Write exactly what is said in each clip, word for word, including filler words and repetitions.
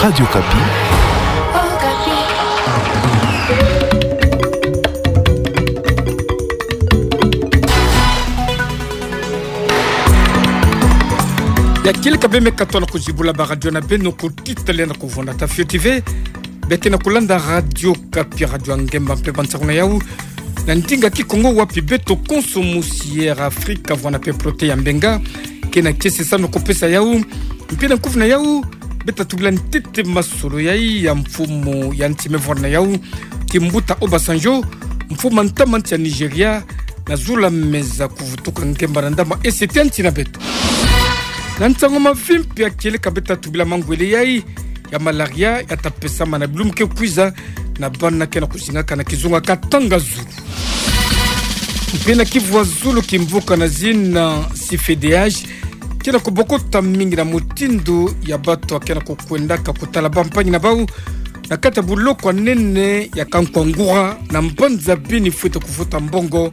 Radio Okapi. Ya kieleka bê me katoa na kuzibula ba radio na bê, no kutitele na kuvona ta fioti ve. Bê ke na kulanda Radio Okapi, radio ya ngemba mpe bansaku na yau. Na ndinga Kikongo, wapi beto konso musi ya Afrika, vwana mpe prote ya mbenga. Ke na kiese sa no kupesa yau. Mpe na nkufi na yau, bê ta tubila ntete masolo yai ya mfumu ya nti me vwana yau, Kimbuta Obasanjo, mfumu a ntama nti ya Nigeria, na zulu a meza kuvutuka ngemba na ndama esete ya nti na beto. Na nsangu mavimpi ya kieleka bê ta tubila mangwele yai ya malaria ya ta pesama na bilumbu ke kwiza na bana ke na kuzingaka na kizunga katanga zulu. Mpe na Kivu ya zulu, kimvuka na zina C F D H ke na kubokota mingi na mutindu ya bato ke na kukwendaka kutala bampangi na bau na kati ya buloko ya nene ya Kankuangura na mbanza Beni, fwete kufuta mbongo.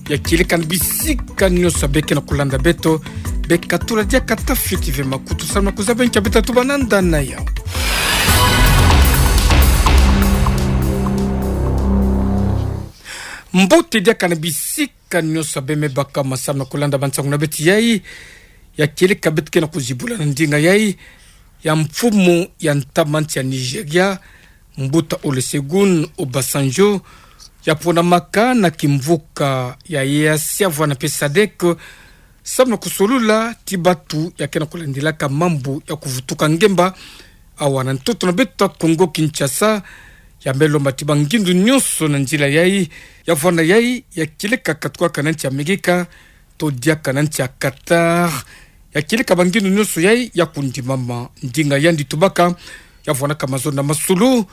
Ya kieleka na bisika nyonso bê ke na kulanda beto, bê katula diaka ta fioti ve makutu samu na kuzaba nki bê ta tuba na nda na yau. Mbote diaka na bisika nyonso bê me baka masamu na kulanda bansangu na beto yai. Ya kieleka bê ke na kuzibula na ndinga yai ya mfumu ya ntama nti ya Nigeria, Mbuta Olusegun Obasanjo, ya ponamaka na kimvuka ya EAC vwana mpe SADC, samu na kusolula ti bato ya ke na kulandilaka mambu ya kuvutuka ngemba awa na ntoto na beto ya Kongo Kinshasa. Ya me lomba ti bangindu nyonso na nzila yai, ya vwana yai ya kieleka katukaka na nti ya Amerika, to diaka na nti ya Qatar. Ya kieleka bangindu nyonso yai ya kundimama. Ndinga yandi tubaka, ya vwanaka mazono na masolo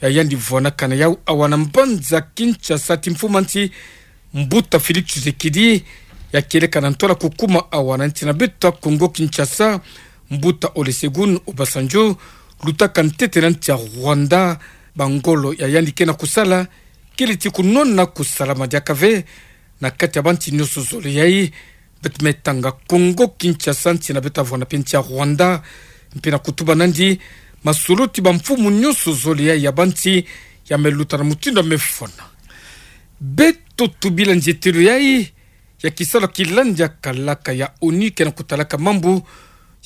ya yandi vwanaka na yau awa na mbanza Kinshasa ti mfumu a nti, Mbuta Félix Tshisekedi, ya kieleka na ntwala kukuma awa na nti na beto ya Kongo Kinshasa, Mbuta Olusegun Obasanjo lutaka ntete na nti ya Rwanda. Bangolo ya yandi ke na kusala kele ti kunwana kusalama diaka ve na kati ya banti nyonso zole yai. Beto me tanga Kongo Kinshasa, nti na beto ya vwana mpe nti ya Rwanda, mpe na kutuba nandi masolo ti bamfumu nyonso zole yai ya banti ya me luta na mutindu ya me fwana. Beto tubila nzietelo yai ya kisalu ya kilandi ya kalaka ya ONU ke na kutalaka mambu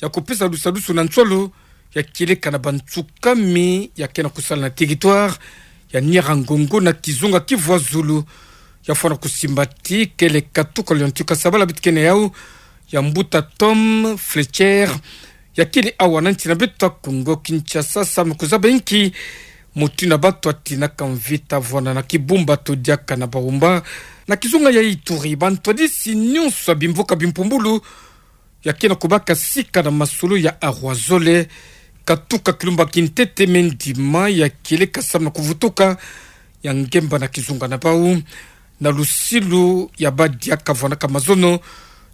ya kupesa lusalusu na nsolo ya kieleka na bantsukami ya ke na kusala na territoire ya Nyiragongo na kizunga Kivu ya zulu. Ya fwana kusimba ti kele katuka liontika sabala beto ke na yau ya Mbuta Tom Fletcher, ya kele awa na nti na beto ya Kongo Kinshasa samu na kuzaba inki mutindu ya bato ya tinaka mvita vwana na Kibumba to diaka na Baumba na kizunga ya Ituri. Bantwadisi nyonso ya bimvuka bimpumbulu ya ke na kubaka sika na masolo ya arwa zole, katuka kilumbu ya kintete me ndima ya kieleka samu na kuvutuka ya ngemba na kizunga na bau. Na lusilu ya badiaka vwanaka mazono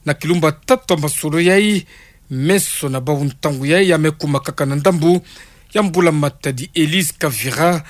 na kilumbu ya tatu ya masolo yai, meso na bau ntangu yai ya me kumakaka na ndambu ya mbula matadi. Elise Kavira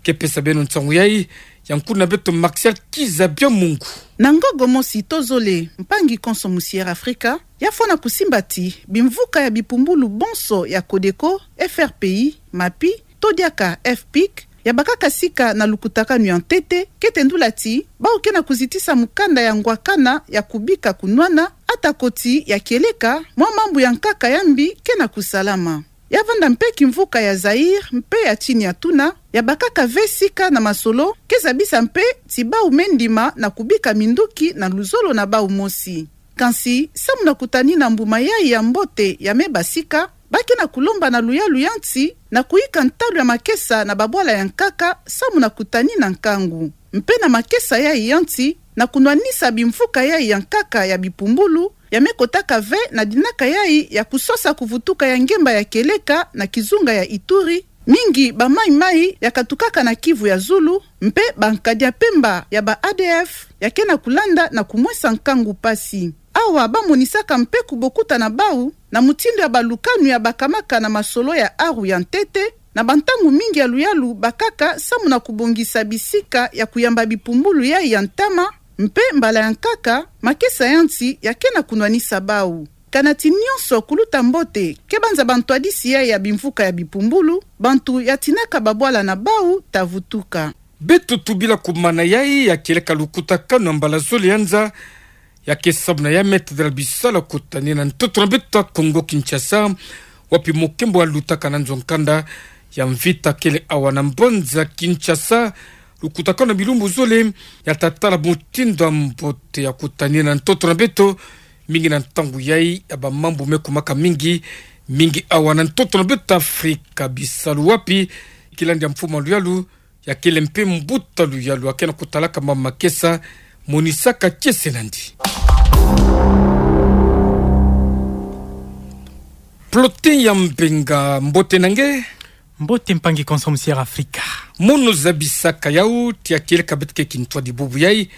ke pesa beno nsangu yai, ya nkuna beto Martial Kiza Biamungu. Na ngogo mosi to zole, mpangi konso musi ya Afrika ya fwana kusimba ti bimvuka ya bipumbulu bonso ya CODECO, FRPI, MAPI, to diaka FPIC, ya bakaka sika na lukutakanu ya ntete, kete ndula ti bau ke na kuzitisa mukanda ya ngwakana ya kubika kunwana, atako ti ya kieleka mwa mambu ya nkaka ya mbi ke na kusalama. Ya vanda mpe kimvuka ya Zaïre mpe ya tini ya tuna, ya bakaka ve sika na masolo, ke zabisa mpe ti bau me ndima na kubika minduki na luzolo na bau mosi. Kansi, samu na kutanina mbu mayai ya mbote ya me basika, ba ke na kulomba na luyalu ya nti na kuyika ntalu ya makesa na babwala ya nkaka, samu na kutanina nkangu. Mpe na makesa yai ya nti, na kunwanisa bimvuka yai ya nkaka ya bipumbulu, ya me kotaka ve na dinaka yai ya kusosa kuvutuka ya ngemba ya kieleka na kizunga ya Ituri, mingi ba maimai ya katukaka na Kivu ya zulu, mpe ba nkadi ya mpemba ya ba ADF ya ke na kulanda na kumwesa nkangu mpasi. Awa ba monisaka mpe kubokuta na bau na mutindu ya balukanu ya bakamaka na masolo ya aru ya ntete, na bantangu mingi ya luyalu bakaka samu na kubongisa bisika ya kuyamba bipumbulu yai ya ntama, mpe mbala ya nkaka, makesa ya nti ya ke na kunwanisa bau. Kana ti nyonso kuluta mbote, ke banza bantwadisi yai ya bimvuka ya bipumbulu, bantu ya tinaka babwala na bau ta vutuka. Beto tubila kumana yai ya kieleka lukutakanu ya mbala zole ya nza, ya ke sabana ya Me Tadela Bisalu ya kutani na ntoto na beto ya Kongo Kinshasa, wapi mokembo alutaka na nzo nkanda ya mvita kele awa na mbanza Kinshasa. Lukutakanu ya bilumbu zole ya tatala mutindu ya mbote ya kutani na ntoto na beto, mingi na ntangu yai ya bamambu me kumaka mingi, mingi awa na ntoto na beto Afrika. Bisalu wapi, kilandi ya mfumu ya luyalu, ya kele mpe mbuta luyalu, ya ke na kutalaka mama makesa, monisaka kiese nandi. Plotin ya Mbenga, mbote na nge. Mbote mpangi Konso Musiera Afrika. Mono zabisaka yau, ti ya kieleka beto ke kintwadi bubu yai,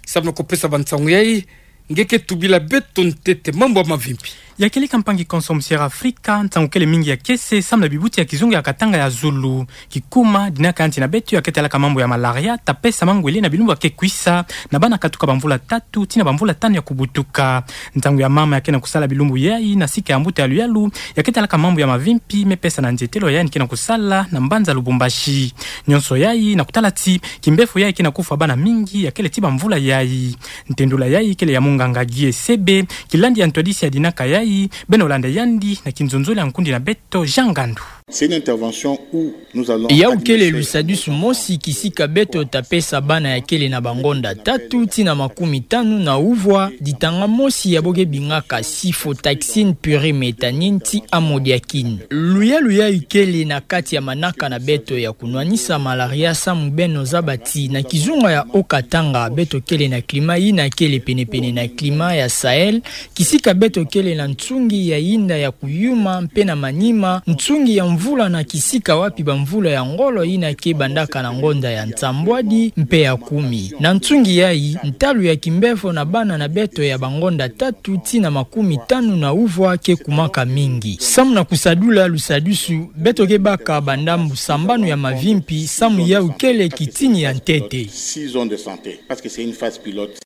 samu na kupesa bansangu yai, nge ke tubila beto ntete mambu ya mavimpi. Ya kieleka mpangi Konso Musiera Afrika, nsangu kele mingi ya kiese, samu na bibuti ya kizunga ya Katanga ya Zulu. Kikuma, dina ka ya nti na beto ya ke talaka mambu ya malaria, ta pesa mangwele na bilumbu ya ke kwisa, na bana katuka bamvula tatu, tii na bamvula tanu ya kubutuka. Ntangu ya mama ya ke na kusala bilumbu yai, na sika ya mbuta ya luyalu, ya ke talaka mambu ya mavimpi, me pesa na nzietelo ya yandi ke na kusala, na mbanza Lubumbashi. Nyonso yai, na kutala ti, kimbefo yai ke na kufwa bana mingi, ya kele tii bamvula yai. Ntendula yai, kele ya munganga Guy Esebe, kilandi ya ntwadisi ya dina ka yai, beno landa yandi, na kinzonzolo ya nkundi na beto, Jean Ngandu. C'est une intervention où nous allons Yau kele lusadusu mosi kisika beto ta pesa bana ya kele na bangonda tatu tii na makumi tanu na uvwa ditanga mosi ya bo ke bingaka cifotaxine pyriméthamine tii amodiakine. Luyalu yai kele na kati ya manaka na beto ya kunwanisa malaria samu beno zaba ti na kizunga ya Haut-Katanga beto kele na climat yina kele penepene na climat ya Sahel, kisika beto kele na nsungi ya yinda ya kuyuma mpe na manima, nsungi ya mvula na kisika wapi bamvula ya ngolo yina ke bandaka na ngonda ya nsambwadi mpe ya kumi. Na nsungi yai, ntalu ya kimbefo na bana na beto ya bangonda tatu tii na makumi tanu na uvwa ke kumaka mingi. Samu na kusadula lusadusu, beto ke baka bandambu sambanu ya mavimpi, samu yau kele kitini ya ntete. Six zones de santé, parce que c'est une phase pilote.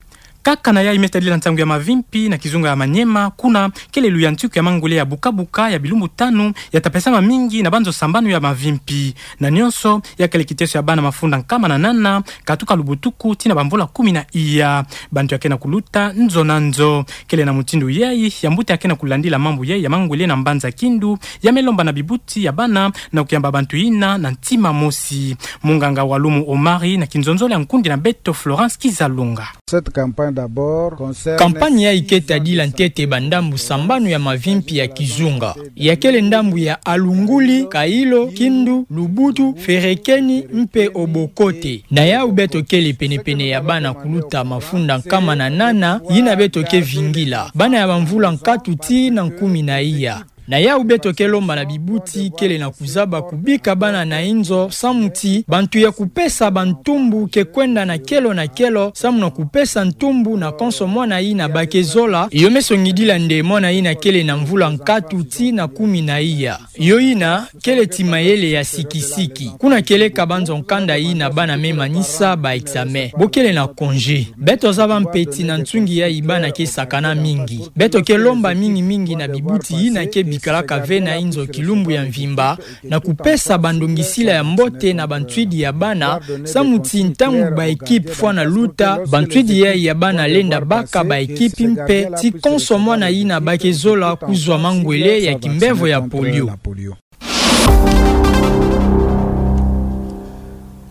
Kaka na yai me tadila nsangu ya mavimpi na kizunga ya Maniema, kuna kele luyantiku ya mangwele ya buka-buka ya bilumbu tanu ya ta pesama mingi na banzo sambanu ya mavimpi. Na nyonso, ya kele kiteso ya bana mafunda nkama na nana, katuka lubutuku, tii na bamvula kumi na iya. Bantu ya ke na kuluta nzo na nzo. Kele na mutindu yai, ya mbuta ya ke na kulandila mambu yai ya mangwele na mbanza Kindu, ya me lomba na bibuti ya bana, na kuyamba bantu yina, na ntima mosi. Munganga Walumu Omari, na kinzonzolo ya nkundi na beto Florence Kizalunga. Cette campagne d'abord concerne Kampanye yai ke tadila ntete bandambu sambanu ya mavimpi ya kizunga. Ya kele ndambu ya Alunguli, Kailo, Kindu, Lubutu, Ferekeni, mpe Obokote. Na yau beto kele penepene ya bana kuluta mafunda nkama na nana, yina beto ke vingila. Bana ya bamvula nkatu tii na nkumi na iya. Na yau beto ke lomba na bibuti kele na kuzaba kubika bana na inzo, samu ti bantu ya kupesa bantumbu ke kwenda na kelo na kelo, samu na kupesa ntumbu na konso mwana yina ba ke zola, yo me songidila nde mwana yina kele na mvula nkatu tii na kumi na iya. Yo yina, kele ti mayele ya sikisiki. Kuna kieleka banzo nkanda yina bana me manisa ba examen. Bo kele na congé. Beto zaba mpe ti na nsungi yai bana ke sakana mingi. Beto ke lomba mingi-mingi na bibuti yina ke bikalaka ve na inzo kilumbu ya mvimba, na kupesa bandongisila ya mbote na bantwidi ya bana, samu ti ntangu ba équipe fwana luta, bantwidi yai ya bana lenda baka ba équipe mpe, ti konso mwana yina ba ke zola kuzwa mangwele ya kimbevo ya polio.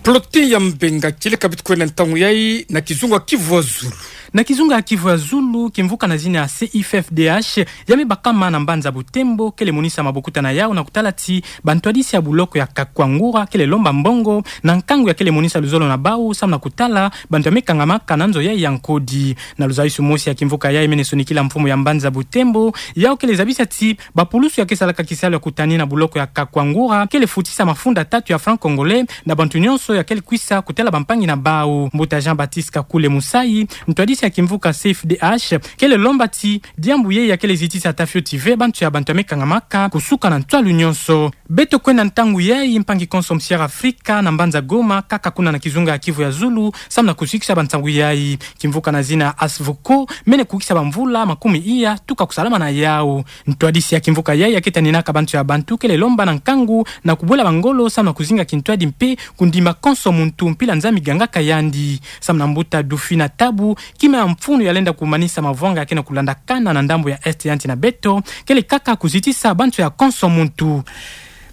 Plotin ya Mbenga, kieleka beto kwenda ntangu yai na kizunga Kivu ya Zulu. Na kizunga ya Kivu ya Zulu, kimvuka na zina ya C I F F D H, ya me bakama na mbanza Butembo, kele monisa mabokuta na yau na kutala ti bantwadisi ya buloko ya Kakwangura kele lomba mbongo na nkangu ya kele monisa luzolo na bau, samu na kutala bantu ya me kangamaka na nzo yai ya nkodi. Na luzayusu mosi ya kimvuka yai me ne sonikila mfumu ya mbanza Butembo, yau kele zabisa ti bapulusu ya ke salaka kisalu ya kutani na buloko ya Kakwangura kele futisa mafunda tatu ya franc congolais na bantu nyonso ya kele kwisa kutela bampangi na bau. Mbuta Jean-Baptiste Kakule Musayi, ntwadisi ya kimvuka C F D H, kele lomba ti diambu yeyi ya kele zitisa tafioti ve bantu ya bantu ya mekangamaka kusuka na ntwalu nyonso. Beto kwenda ntangu yayi, mpangi konso musi'Afrika na mbanza Goma, kaka kuna na kizunga ya Kivu ya Zulu, samu na kusikisa bansangu yayi. Kimvuka na zina Asvuko, mene kukisa bamvula makumi iya, tuka kusalama na yau. Ntwadisi ya kimvuka yayi ya ketaninaka bantu ya bantu kele lomba na nkangu na kubwela bangolo samu na kuzinga kintwadi mpe kundima konso muntu mpila Nzambi gangaka yandi. Samu na mbuta Dufina Tabu, kima ya mfunu ya lenda kumanisa mavwanga ya kena kulandakana na ndambu ya Est ya nti na beto, kele kaka kuzitisa bantu ya konso muntu.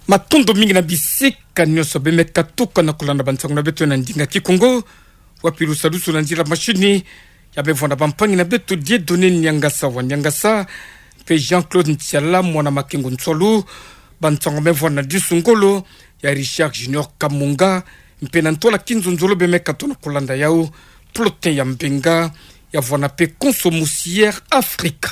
Matondo mingi na bisika nyonso bemeka tuka na kulanda bansangu na beto na ndinga Kikongo. Wapi lusadusu na nzila mashini, ya bevwanda bampangi na beto Dieudonné Niangasa wa Niangasa, mpe Jean-Claude Ntiala, mwana Makengo Nswalu. Bansangu bevwanda na disu ngolo ya Richard Junior Kamunga, mpe na ntwala kinzonzolo bemeka tona kulanda yau, Plotin ya Mbenga, ya vwanda mpe konso musi'Afrika.